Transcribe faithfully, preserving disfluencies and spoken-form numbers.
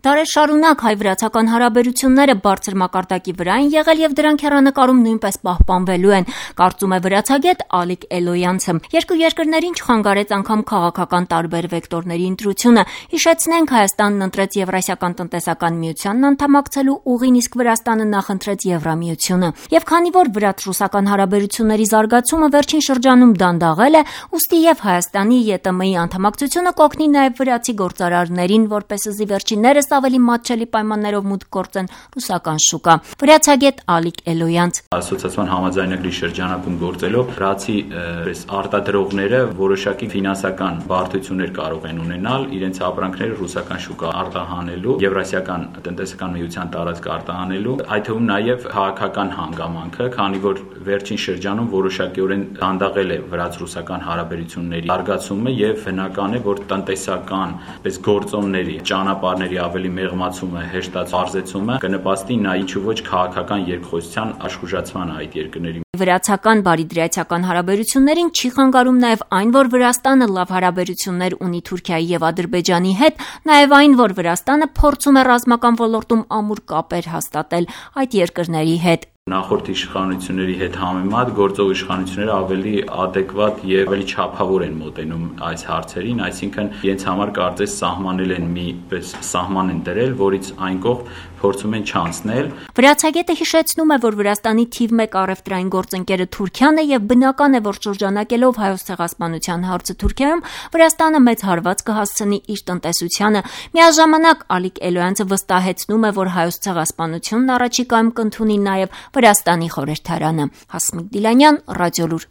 Դարեր շարունակ հայ-վրացական հարաբերությունները բարձր մակարդակի վրա են եղել եւ դրանք հեռանկարում նույնպես պահպանվելու են, կարծում է վրացագետ Ալիկ Էլոյանցը։ Երկու երկրներին չխանգարեց անգամ քաղաքական տարբեր վեկտորների ընտրությունը։ Հիշեցնենք, Հայաստանն ընտրեց Եվրասիական տնտեսական միությանն անդամակցելու ուղին, իսկ Վրաստանը նախընտրեց Եվրամիությունը։ Եվ քանի որ վրաց-ռուսական հարաբերությունների զարգացումը վերջին շրջանում դանդաղել է, ուստի եւ Հայաստանի ԵՏՄ-ի անդամակցությունը կօգնի նաեւ վրացի գործարարներին, որպեսզի վերջիններս ավելի մատչելի պայմաններով մուտք գործեն ռուսական շուկա։ Վրացագետ Ալիկ Էլոյանց. Ասոցիացիոն համաձայնագրի շրջանակում գործելով վրացի արտադրողները որոշակի ֆինանսական բարդություններ կարող են ունենալ իրենց ապրանքները ռուսական շուկա արտահանելու, Եվրասիական տնտեսական միության տարածք արտահանելու, այդ թվում նաև քաղաքական հանգամանքը, քանի որ վերջին շրջանում որոշակիորեն դանդաղել է վրաց-ռուսական հարաբերությունների զարգացումը եւ բնական է, որ տնտեսական պես գործոնների ճանապարհների ավելի մեղմացումը, հեշտացումը կնպաստի նա ինչու ոչ քաղաքական երկխոսության աշխուժացման այդ երկրների։ Վրացական բարիդրացիական հարաբերություններին չի խանգարում նաև այն, որ Վրաստանը լավ հարաբերություններ ունի Թուրքիայի եւ Ադրբեջանի հետ, նաև այն, որ Վրաստանը փորձում է ռազմական ոլորտում ամուր կապեր հաստատել այդ երկրների հետ։ Նախորդ իշխանությունների հետ համեմատ գործող իշխանությունները ավելի adekvat եւ ավելի չափավոր են մոտենում այս հարցերին, այսինքն իրենց համար կարծես սահմանել են մի պես սահման են դրել, որից այն կողմ փորձում են չանցնել։ Վրացագետը հիշեցնում է, որ Վրաստանի թիվ մեկ առևտրային գործընկերը Թուրքիան է եւ բնական է, որ շրջանակելով Հայոց ցեղասպանության հարցը Թուրքիայում, Վրաստանը մեծ հարված կհասցնի իր տնտեսությանը։ Միաժամանակ Ալիկ Էլոյանցը վստահեցնում է, որ Հայոց ցեղասպանությունն առաջիկայում կընդունի նաեւ Վրաստանի խորհրդարանը։ Հասմիկ Դիլանյան, Ռադիոլուր։